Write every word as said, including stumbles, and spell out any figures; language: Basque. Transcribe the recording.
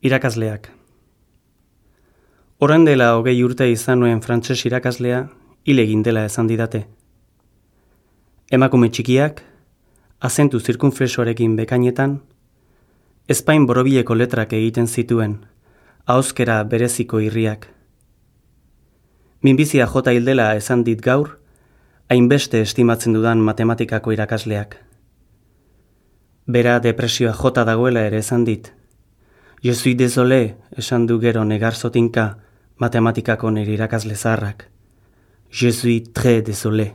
Irakasleak. Orain dela hogei urte izan nuen frantses irakaslea, hil egin dela esan didate. Emakume txikiak, azentu zirkunflexoarekin bekainetan, ezpain borobileko letrak egiten zituen, ahozkera bereziko irriak. Minbizia jota hil dela esan dit gaur, hainbeste estimatzen dudan matematikako irakasleak. Bera depresioa jota dagoela ere esan dit. Je suis désolé, esan du gero negar zotinka matematikako nire irakasle zaharrak. Je suis très désolé.